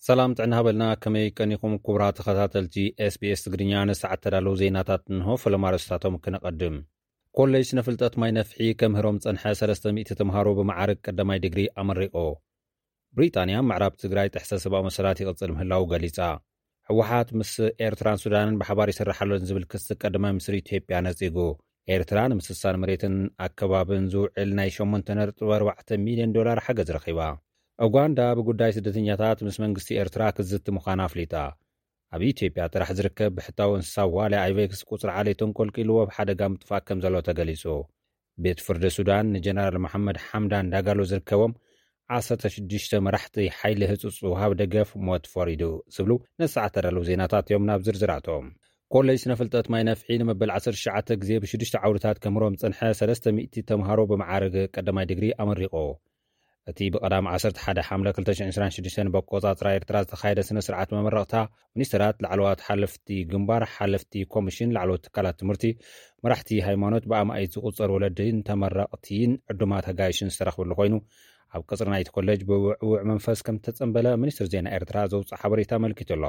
ሰላም ጥዕና ሃበልና፣ ከመይ ቀኒኹም ክቡራት ተኸታተልቲ ኤስቢኤስ ትግርኛ? ንሰዓት ተዳለዉ ዜናታት እንሆ። ፈለማ ኣርእስታቶም ክነቐድም። ኮሌጅ ስነ ፍልጠት ማይ ነፍሒ ከምህሮም ጸንሐ ሰለስተ ሚእቲ ተምሃሮ ብመዓርግ ቀዳማይ ዲግሪ ኣመሪቑ። ብሪጣንያ ምዕራብ ትግራይ ጥሕሰት ሰብኣዊ መሰላት ይቕጽል ምህላዉ ገሊጻ። ህወሓት ምስ ኤርትራን ሱዳንን ብሓባር ይሰርሕ ኣሎን ዝብል ክሲ ቀዳማይ ሚኒስትር ኢትዮጵያ ነጺጉ። ኤርትራ ንምስሳን መሬትን ኣከባብን ዝውዕል ናይ ሸሞንተ ነጥቢ ኣርባዕተ ሚልዮን ዶላር ሓገዝ ረኺባ። ኡጋንዳ ብጉዳይ ስደተኛታት ምስ መንግስቲ ኤርትራ ክትዝቲ ምዃና ኣፍሊጣ። ኣብ ኢትዮጵያ ጥራሕ ዝርከብ ብሕታዊ እንስሳ ዋልያ ኣይቬክስ ቁጽሪ ዓሌቱ እንቆልቂልዎ ኣብ ሓደጋ ምጥፋእ ከም ዘሎ ተገሊጹ። ቤት ፍርዲ ሱዳን ንጀነራል መሓመድ ሓምዳን ዳጋሎ ዝርከቦም ዓሰርተ ሽዱሽተ መራሕቲ ሓይሊ ህጹጽ ውሃብ ደገፍ ሞት ፈሪዱ ዝብሉ ነሰዓት ተዳለዉ ዜናታት እዮም። ናብ ዝርዝራቶም። ኮሌጅ ስነ ፍልጠት ማይ ነፍሒ ንመበል ዓሰርተ ትሽዓተ ግዜ ብሽዱሽተ ዓውድታት ከምህሮም ዝጸንሐ ሰለስተ ሚእቲ ተምሃሮ ብመዓርግ ቀዳማይ ዲግሪ ኣመሪቑ። እቲ ብቐዳም ዓሰርተ ሓደ ሓምለ ክልተ ሽሕን ዕስራን ሽዱሽተን በቆጻጽራ ኤርትራ ዝተኻየደ ስነ ስርዓት መመረቕታ፣ ሚኒስትራት፣ ላዕለዋት ሓለፍቲ ግንባር፣ ሓለፍቲ ኮሚሽን፣ ላዕለዎት ትካላት ትምህርቲ፣ መራሕቲ ሃይማኖት፣ ብኣማኢት ዝቑጸር ወለዲን ተመረቕቲን ዕዱማት ኣጋይሽን ዝተረኽበሉ ኮይኑ፣ ኣብ ቅጽሪ ናይቲ ኮሌጅ ብውዕውዕ መንፈስ ከም ተጸንበለ ሚኒስትር ዜና ኤርትራ ዘውፅእ ሓበሬታ ኣመልኪቱ ኣሎ።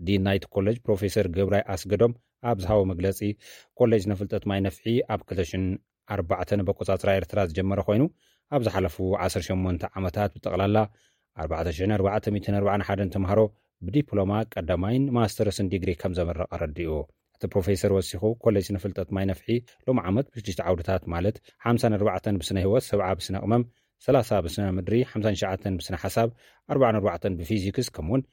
ዲን ናይቲ ኮሌጅ ፕሮፌሰር ገብራይ ኣስገዶም ኣብ ዝሃቦ መግለጺ፣ ኮሌጅ ንፍልጠት ማይ ነፍሒ ኣብ ክልተ ሽሕን ኣርባዕተን በቆጻጽራ ኤርትራ ዝጀመረ ኮይኑ፣ ኣብ ዝሓለፉ ዓሰርተ ሸሞንተ ዓመታት ብጠቕላላ ኣርባዕተ ሽሕን ኣርባዕተ ሚእትን ኣርባዓን ሓደን ተምሃሮ ብዲፕሎማ ቀዳማይን ማስተርስን ዲግሪ ከም ዘመረቐ ኣረዲኡ። እቲ ፕሮፌሰር ወሲኹ፣ ኮሌጅ ንፍልጠት ማይ ነፍሒ ሎም ዓመት ብሽዱሽተ ዓውድታት፣ ማለት ሓምሳን ኣርባዕተን ብስነ ህይወት፣ ሰብዓ ብስነ ቅመም፣ ሰላሳ ብስነ ምድሪ፣ ሓምሳን ትሽዓተን ብስነ ሓሳብ፣ ኣርባዓን ኣርባዕተን ብፊዚክስ፣ ከምኡውን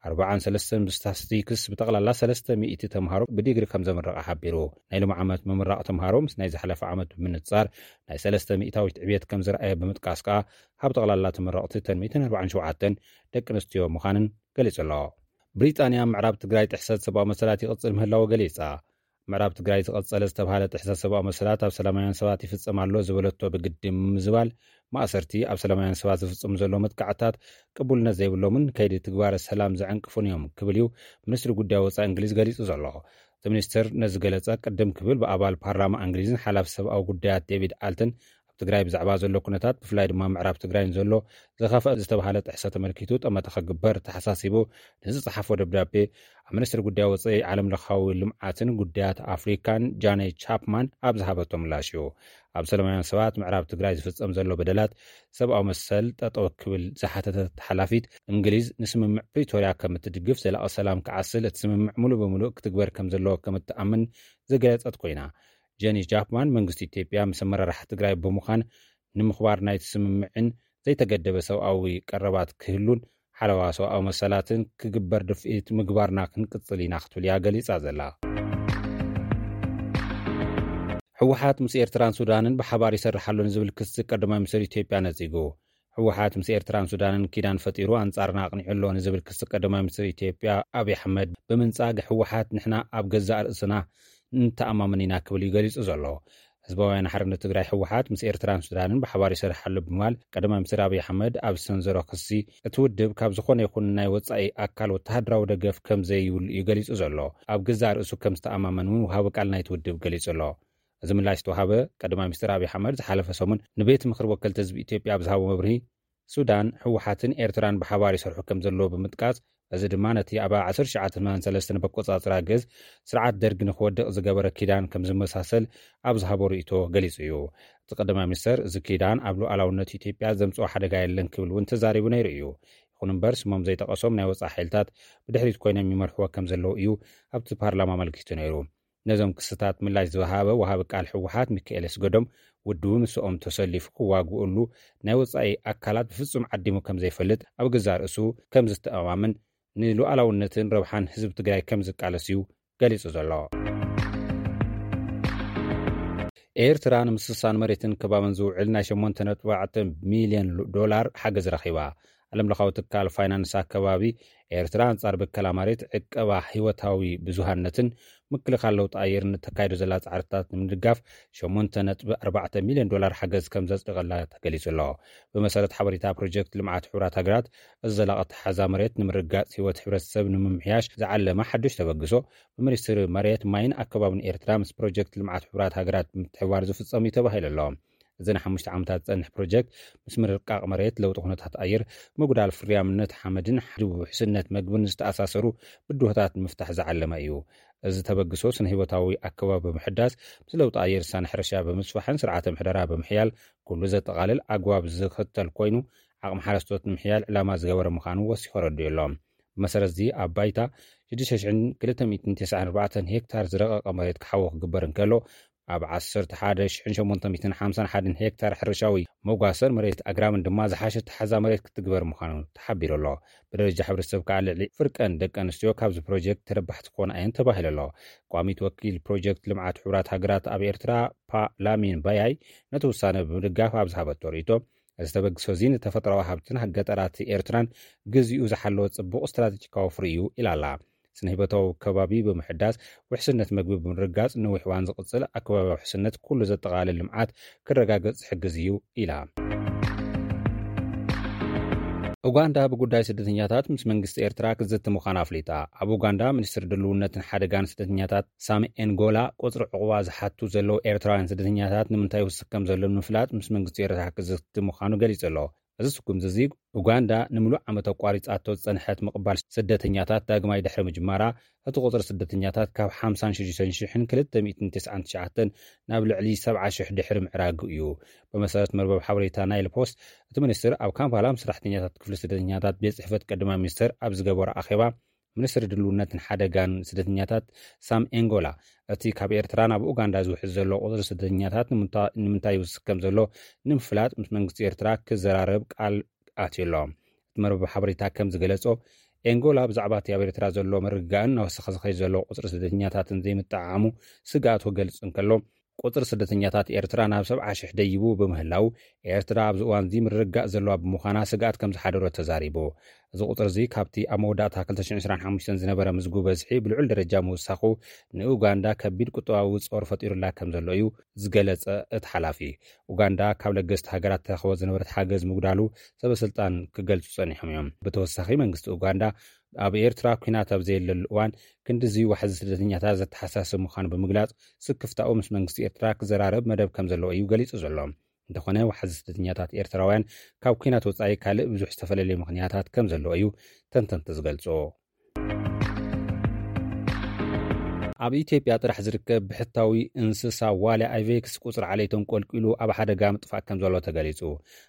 ኣርባዓን ሰለስተን ብስታስቲክስ፣ ብጠቕላላ ሰለስተ ሚእቲ ተምሃሮ ብዲግሪ ከም ዘምረቐ ሓቢሩ። ናይ ሎም ዓመት ምምራቕ ተምሃሮ ምስ ናይ ዝሓለፈ ዓመት ብምንጻር ናይ ሰለስተ ሚእታዊት ዕብየት ከም ዝረኣየ ብምጥቃስ ከኣ፣ ካብ ጠቕላላ ተመረቕቲ እተን ሚእትን ኣርባዓን ሸውዓተን ደቂ ኣንስትዮ ምዃንን ገሊጹ ኣሎ። ብሪጣንያ ምዕራብ ትግራይ ጥሕሰት ሰብኣዊ መሰላት ይቕጽል ምህላዉ ገሊጻ። ምዕራብ ትግራይ ዝቐጸለ ዝተባሃለ ጥሕሰት ሰብኣዊ መሰላት ኣብ ሰላማውያን ሰባት ይፍጸም ኣሎ ዝበለቶ ብግዲ ምዝባል፣ ማእሰርቲ፣ ኣብ ሰላማውያን ሰባት ዝፍጸሙ ዘለዉ መጥቃዕታት ቅቡልነት ዘይብሎምን ከይዲ ትግባረ ሰላም ዘዕንቅፉን እዮም ክብል እዩ ሚኒስትሪ ጉዳይ ወጻኢ እንግሊዝ ገሊጹ ዘሎ። እቲ ሚኒስትር ነዚ ገለጸ ቅድም ክብል ብኣባል ፓርላማ እንግሊዝን ሓላፊ ሰብኣዊ ጉዳያት ዴቪድ ኣልትን ኣብ ትግራይ ብዛዕባ ዘሎ ኩነታት፣ ብፍላይ ድማ ምዕራብ ትግራይ ንዘሎ ዝኸፍአ ዝተባሃለ ጥሕሰት ተመልኪቱ ጠመተ ክግበር ተሓሳሲቡ ንዝጸሓፎ ደብዳቤ፣ ኣብ ሚኒስትሪ ጉዳይ ወጻኢ፣ ዓለም ለኻዊ ልምዓትን ጉዳያት ኣፍሪካን ጃኔ ቻፕማን ኣብ ዝሃበቶ ምላሽ እዩ። ኣብ ሰላማውያን ሰባት ምዕራብ ትግራይ ዝፍጸም ዘሎ በደላት ሰብኣዊ መሰል ጠጠው ክብል ዝሓተተት ሓላፊት እንግሊዝ፣ ንስምምዕ ፕሪቶርያ ከም እትድግፍ፣ ዘላቒ ሰላም ክዓስል እቲ ስምምዕ ሙሉእ ብምሉእ ክትግበር ከም ዘለዎ ከም እትኣምን ዝገለጸት ኮይና፣ ጀኒ ቻፕማን መንግስቲ ኢትዮጵያ ምስ ኣመራርሓ ትግራይ ብምዃን ንምኽባር ናይቲ ስምምዕን ዘይተገደበ ሰብኣዊ ቀረባት ክህሉን ሓለዋ ሰብኣዊ መሰላትን ክግበር ድፍኢት ምግባርና ክንቅጽል ኢና ክትብል እያ ገሊጻ ዘላ። ህወሓት ምስ ኤርትራን ሱዳንን ብሓባር ይሰርሕ ኣሎ ንዝብል ክሲ ቀዳማይ ሚኒስትር ኢትዮጵያ ነጺጉ። ህወሓት ምስ ኤርትራን ሱዳንን ኪዳን ፈጢሩ ኣንጻርና ኣቕኒዑ ኣሎ ንዝብል ክሲ ቀዳማይ ሚኒስትር ኢትዮጵያ ኣብይ ኣሕመድ ብምንጻግ፣ ህወሓት ንሕና ኣብ ገዛእ ርእስና ንተኣማመን ኢና ክብል እዩ ገሊጹ ዘሎ። ህዝባውያን ሓርነት ትግራይ ህወሓት ምስ ኤርትራን ሱዳንን ብሓባር ይሰርሕ ኣሎ ብምባል ቀዳማይ ሚኒስትር ኣብይ ኣሕመድ ኣብ ዝሰንዘሮ ክሲ፣ እቲ ውድብ ካብ ዝኾነ ይኹን ናይ ወጻኢ ኣካል ወተሃደራዊ ደገፍ ከም ዘይብሉ እዩ ገሊጹ ዘሎ። ኣብ ገዛእ ርእሱ ከም ዝተኣማመን እውን ወሃቢ ቃል ናይቲ ውድብ ገሊጹ ኣሎ። እዚ ምላሽ ዝተዋሃበ ቀዳማይ ሚኒስትር ኣብይ ኣሕመድ ዝሓለፈ ሰሙን ንቤት ምኽሪ ወከልቲ ህዝቢ ኢትዮጵያ ኣብ ዝሃቦ መብርሂ፣ ሱዳን፣ ህወሓትን ኤርትራን ብሓባር ይሰርሑ ከም ዘለዉ ብምጥቃስ፣ እዚ ድማ ነቲ ኣብ ዓሰርተ ትሽዓተ ሰማንያን ሰለስተን በቆጻጽራ ግእዝ ስርዓት ደርግ ንክወድቕ ዝገበረ ኪዳን ከም ዝመሳሰል ኣብ ዝሃቦ ርእይቶ ገሊጹ እዩ። እቲ ቀዳማይ ሚኒስተር፣ እዚ ኪዳን ኣብ ሉዓላውነት ኢትዮጵያ ዘምጽኦ ሓደጋ የለን ክብል እውን ተዛሪቡ ነይሩ እዩ። ይኹን እምበር፣ ስሞም ዘይጠቐሶም ናይ ወጻኢ ሓይልታት ብድሕሪት ኮይኖም ይመርሕዎ ከም ዘለዉ እዩ ኣብቲ ፓርላማ ኣመልኪቱ ነይሩ። ነዞም ክስታት ምላሽ ዝወሃበ ወሃቢ ቃል ህወሓት ሚካኤል ኣስገዶም፣ ውድቡ ምስኦም ተሰሊፉ ክዋግኡሉ ናይ ወጻኢ ኣካላት ብፍጹም ዓዲሙ ከም ዘይፈልጥ፣ ኣብ ገዛእ ርእሱ ከም ዝተኣማምን ንሉዓላውነትን ረብሓን ህዝቢ ትግራይ ከም ዝቃለስ እዩ ገሊጹ ዘሎ። ኤርትራ ንምስሳን መሬትን ከባብን ዝውዕል ናይ ሸሞንተ ነጥቢ ኣርባዕተ ሚልዮን ዶላር ሓገዝ ረኺባ። ዓለምለኻዊ ትካል ፋይናንስ ኣከባቢ፣ ኤርትራ ኣንጻር ብከላ መሬት፣ ዕቀባ ህይወታዊ ብዙሃነትን ምክልኻል ለውጢ ኣየርን እተካይዶ ዘላ ጻዕርታት ንምድጋፍ ሸሞንተ ነጥቢ ኣርባዕተ ሚልዮን ዶላር ሓገዝ ከም ዘጽደቐላ ተገሊጹ ኣሎ። ብመሰረት ሓበሬታ ፕሮጀክት ልምዓት ሕቡራት ሃገራት፣ እዚ ዘላቒ ኣተሓሕዛ መሬት ንምርግጋጽ ህይወት ሕብረተሰብ ንምምሕያሽ ዝዓለመ ሓድሽ ተበግሶ፣ ብሚኒስትሪ መሬት፣ ማይን ኣከባብን ኤርትራ ምስ ፕሮጀክት ልምዓት ሕቡራት ሃገራት ብምትሕብባር ዝፍጸም እዩ ተባሂሉ ኣሎ። እዚ ንሓሙሽተ ዓመታት ዝጸንሕ ፕሮጀክት ምስ ምርቃቕ መሬት፣ ለውጢ ኩነታት ኣየር፣ ምጉዳል ፍርያምነት ሓመድን ውሕስነት መግብን ዝተኣሳሰሩ ብድሆታት ንምፍታሕ ዝዓለመ እዩ። እዚ ተበግሶ ስነ ህይወታዊ ኣከባቢ ብምሕዳስ፣ ምስ ለውጢ ኣየር ዝሳነ ሕርሻ ብምስፋሕን ስርዓተ ምሕደራ ብምሕያል ኩሉ ዘጠቓልል ኣግባብ ዝኽተል ኮይኑ፣ ዓቕሚ ሓረስቶት ንምሕያል ዕላማ ዝገበረ ምዃኑ ወሲኹ ኣረዲኡ ኣሎ። ብመሰረት እዚ ኣብ ባይታ ሽዱሽተ ሽሕን ክልተ ሚእትን ተስዓን ኣርባዕተን ሄክታር ዝረቐቐ መሬት ክሓዊ ክግበር እንከሎ፣ ኣብ ዓሰርተ ሓደ ሽሕን ሸሞንተ ሚእትን ሓምሳን ሓደን ሄክታር ሕርሻዊ መጓሰን መሬት ኣግራምን ድማ ዝሓሸ ተሓዛ መሬት ክትግበር ምዃኑ ተሓቢሩ ኣሎ። ብደረጃ ሕብረተሰብ ከዓ ልዕሊ ፍርቀን ደቂ ኣንስትዮ ካብዚ ፕሮጀክት ተረባሕቲ ክኾና እየን ተባሂሉ ኣሎ። ቋሚት ወኪል ፕሮጀክት ልምዓት ሕቡራት ሃገራት ኣብ ኤርትራ ፓ ላሚን ባያይ ነቲ ውሳነ ብምድጋፍ ኣብ ዝሃበቶ ርእይቶ፣ እዚ ተበግሶ እዚ ንተፈጥሮኣዊ ሃብትን ገጠራት ኤርትራን ግዚኡ ዝሓለወ ጽቡቕ ስትራቴጂካዊ ፍሪ እዩ ኢላ ኣላ። ስነ ህይወታዊ ከባቢ ብምሕዳስ፣ ውሕስነት መግቢ ብምርጋጽ፣ ነዊሕ እዋን ዝቕጽል ኣከባቢ ውሕስነት ኩሉ ዘጠቓልል ልምዓት ክረጋገጽ ዝሕግዝ እዩ ኢላ። ኡጋንዳ ብጉዳይ ስደተኛታት ምስ መንግስቲ ኤርትራ ክትዝቲ ምዃና ኣፍሊጣ። ኣብ ኡጋንዳ ሚኒስትሪ ድልውነትን ሓደጋን ስደተኛታት ሳሚ ኤንጎላ፣ ቁጽሪ ዕቑባ ዝሓቱ ዘለዉ ኤርትራውያን ስደተኛታት ንምንታይ ይውስኽ ከም ዘሎ ንምፍላጥ ምስ መንግስቲ ኤርትራ ክትዝቲ ምዃኑ ገሊጹ ኣሎ። እዚ ስጉምቲ እዚ ኡጋንዳ ንምሉእ ዓመት ኣቋሪጻቶ ዝጸንሐት ምቕባል ስደተኛታት ዳግማይ ድሕሪ ምጅማራ፣ እቲ ቁጽሪ ስደተኛታት ካብ ሓምሳን ሽዱሽተን ሽሕን ክልተ ሚእትን ተስዓን ትሽዓተን ናብ ልዕሊ ሰብዓ ሽሕ ድሕሪ ምዕራጉ እዩ። ብመሰረት መርበብ ሓበሬታ ናይል ፖስት፣ እቲ ሚኒስትር ኣብ ካምፓላ ምስ ሰራሕተኛታት ክፍሊ ስደተኛታት ቤት ጽሕፈት ቀዳማይ ሚኒስትር ኣብ ዝገበሮ ኣኼባ፣ ሚኒስትሪ ድልውነትን ሓደጋን ስደተኛታት ሳም ኤንጎላ፣ እቲ ካብ ኤርትራ ናብ ኡጋንዳ ዝውሕዝ ዘሎ ቁጽሪ ስደተኛታት ንምንታ-፣ ንምንታይ ይውስኽ ከም ዘሎ ንምፍላጥ ምስ መንግስቲ ኤርትራ ክዘራረብ ቃል ኣትዩ ኣሎ። እቲ መርበብ ሓበሬታ ከም ዝገለጾ፣ ኤንጎላ ብዛዕባ እቲ ኣብ ኤርትራ ዘሎ ምርግጋእን እናወሰኸ ዝኸይድ ዘሎ ቁጽሪ ስደተኛታትን ዘይምጠዓዓሙ ስግኣቱ ክገልጽ እንከሎ፣ ቁጽሪ ስደተኛታት ኤርትራ ናብ ሰብዓ ሽሕ ደይቡ ብምህላው፣ ኤርትራ ኣብዚ እዋን እዚ ምርግጋእ ዘለዋ ብምዃና ስግኣት ከም ዝሓደሮ ተዛሪቡ። እዚ ቁጽሪ እዚ ካብቲ ኣብ መወዳእታ ክልተ ሽሕን ዕስራን ሓሙሽተን ዝነበረ ምዝጉ በዝሒ ብልዑል ደረጃ ምውሳኹ ንኡጋንዳ ከቢድ ቁጠባዊ ጾር ፈጢሩላ ከም ዘሎ እዩ ዝገለጸ እቲ ሓላፊ። ኡጋንዳ ካብ ለገስቲ ሃገራት ትረኽቦ ዝነበረት ሓገዝ ምጉዳሉ ሰበ ስልጣን ክገልጹ ጸኒሖም እዮም። ብተወሳኺ መንግስቲ ኡጋንዳ ኣብ ኤርትራ ኲናት ኣብ ዘየለሉ እዋን ክንድዚ ዋሕዚ ስደተኛታት ዘተሓሳስብ ምዃኑ ብምግላጽ፣ ስክፍታኡ ምስ መንግስቲ ኤርትራ ክዘራረብ መደብ ከም ዘለዎ እዩ ገሊጹ ዘሎ። እንተኾነ ዋሕዚ ስደተኛታት ኤርትራውያን ካብ ኲናት ወጻኢ ካልእ ብዙሕ ዝተፈላለየ ምኽንያታት ከም ዘለዎ እዩ ተንተንቲ ዝገልጹ። ኣብ ኢትዮጵያ ጥራሕ ዝርከብ ብሕታዊ እንስሳ ዋልያ ኣይቬክስ ቁጽሪ ዓሌቶም ቆልቂሉ ኣብ ሓደጋ ምጥፋእ ከም ዘሎ ተገሊጹ።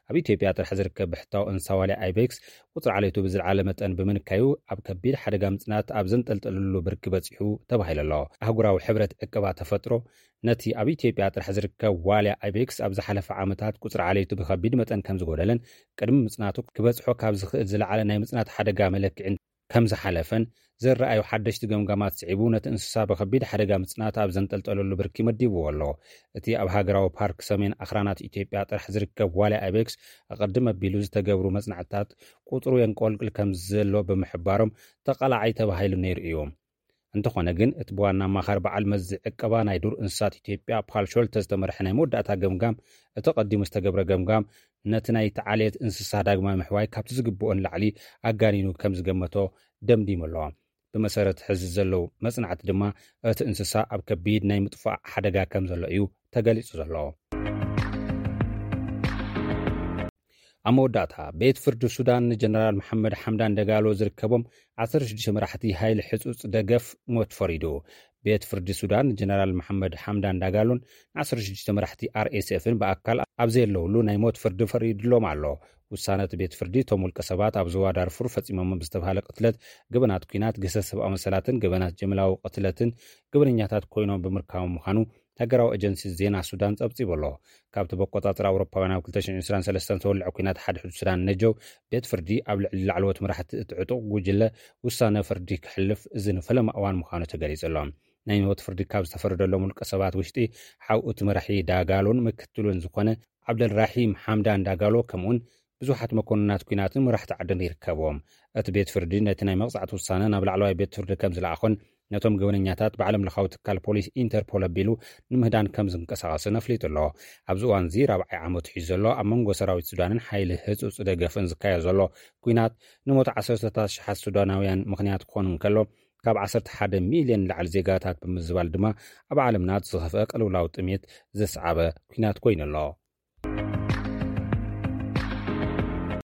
ኣብ ኢትዮጵያ ጥራሕ ዝርከብ ብሕታዊ እንስሳ ዋልያ ኣይቬክስ ቁጽሪ ዓሌቱ ብዝለዓለ መጠን ብምንካዩ ኣብ ከቢድ ሓደጋ ምጽናት ኣብ ዘንጠልጠለሉ ብርኪ በጺሑ ተባሂሉ ኣሎ። ኣህጉራዊ ሕብረት ዕቀባ ተፈጥሮ ነቲ ኣብ ኢትዮጵያ ጥራሕ ዝርከብ ዋልያ ኣይቤክስ ኣብ ዝሓለፈ ዓመታት ቁጽሪ ዓሌቱ ብኸቢድ መጠን ከም ዝጎደለን ቅድሚ ምጽናቱ ክበጽሖ ካብ ዝኽእል ዝለዓለ ናይ ምጽናት ሓደጋ መለክዒን ከም ዝሓለፈን ዝረኣዩ ሓደሽቲ ገምጋማት ስዒቡ ነቲ እንስሳ ብኸቢድ ሓደጋ ምጽናት ኣብ ዘንጠልጠለሉ ብርኪ መዲብዎ ኣሎ። እቲ ኣብ ሃገራዊ ፓርክ ሰሜን ኣኽራናት ኢትዮጵያ ጥራሕ ዝርከብ ዋልያ ኣይቤክስ ኣቐድም ኣቢሉ ዝተገብሩ መጽናዕትታት ቁጽሩ የንቆልቅል ከም ዘሎ ብምሕባሮም ተቓላዓይ ተባሂሉ ነይሩ እዩ። እንተኾነ ግን እቲ ብዋና ኣማኻሪ በዓል መዚ ዕቀባ ናይ ዱር እንስሳት ኢትዮጵያ ፓል ሾልተ ዝተመርሐ ናይ መወዳእታ ገምጋም እቲ ቀዲሙ ዝተገብረ ገምጋም ነቲ ናይቲ ዓሌት እንስሳ ዳግማይ ምሕዋይ ካብቲ ዝግብኦ ንላዕሊ ኣጋኒኑ ከም ዝገመቶ ደምዲሙ ኣሎ። ብመሰረት ሕዚ ዘለዉ መጽናዕቲ ድማ እቲ እንስሳ ኣብ ከቢድ ናይ ምጥፋእ ሓደጋ ከም ዘሎ እዩ ተገሊጹ ዘሎ። ኣብ መወዳእታ ቤት ፍርዲ ሱዳን ንጀነራል መሓመድ ሓምዳን ደጋሎ ዝርከቦም ዓሰርተ ሽዱሽተ መራሕቲ ሃይሊ ሕጹጽ ደገፍ ሞት ፈሪዱ። ቤት ፍርዲ ሱዳን ንጀነራል መሓመድ ሓምዳን ዳጋሎን ን ዓሰርተ ሽዱሽተ መራሕቲ ኣር ኤስ ኤፍን ብኣካል ኣብ ዘየለውሉ ናይ ሞት ፍርዲ ፈሪድሎም ኣሎ። ውሳነ እቲ ቤት ፍርዲ እቶም ውልቀ ሰባት ኣብ ዞባ ዳርፉር ፈጺሞም ብዝተባሃለ ቅትለት፣ ገበናት ኲናት፣ ግህሰት ሰብኣዊ መሰላትን ገበናት ጀምላዊ ቅትለትን ገበነኛታት ኮይኖም ብምርካቦም ምዃኑ ሃገራዊ ኤጀንሲ ዜና ሱዳን ጸብጺቡ ኣሎ። ካብቲ በቆጻጽራ ኣውሮፓውያን ኣብ ክልተ ሽሕን ዕስራን ሰለስተን ዝተወልዐ ኲናት ሓድሕድ ሱዳን ነጀው፣ ቤት ፍርዲ ኣብ ልዕሊ ላዕለዎት መራሕቲ እቲ ዕጡቕ ጉጅለ ውሳነ ፍርዲ ክሕልፍ እዚ ንፈለማ እዋን ምዃኑ ተገሊጹ ኣሎ። ናይ ሞት ፍርዲ ካብ ዝተፈረደሎም ውልቀ ሰባት ውሽጢ ሓው እቲ መራሒ ዳጋሎን ምክትሉን ዝኾነ ዓብደልራሒም ሓምዳን ዳጋሎ፣ ከምኡውን ብዙሓት መኮንናት ኲናትን መራሕቲ ዓድን ይርከብዎም። እቲ ቤት ፍርዲ ነቲ ናይ መቕጻዕቲ ውሳነ ናብ ላዕለዋይ ቤት ፍርዲ ከም ዝለኣኾን ነቶም ገበነኛታት ብዓለም ለኻዊ ትካል ፖሊስ ኢንተርፖል ኣቢሉ ንምህዳን ከም ዝንቀሳቐስን ኣፍሊጡ ኣሎ። ኣብዚ እዋን እዚ ራብዓይ ዓመቱ ሒዙ ዘሎ ኣብ መንጎ ሰራዊት ሱዳንን ሓይሊ ህጹጽ ደገፍን ዝካየድ ዘሎ ኲናት ንሞት ዓሰርተታት ሽሓት ሱዳናውያን ምኽንያት ክኾን እንከሎ፣ ካብ ዓሰርተ ሓደ ሚልዮን ንላዕሊ ዜጋታት ብምዝባል ድማ ኣብ ዓለምና እቲ ዝኸፍአ ቅልውላው ጥሜት ዘስዓበ ኲናት ኮይኑ ኣሎ።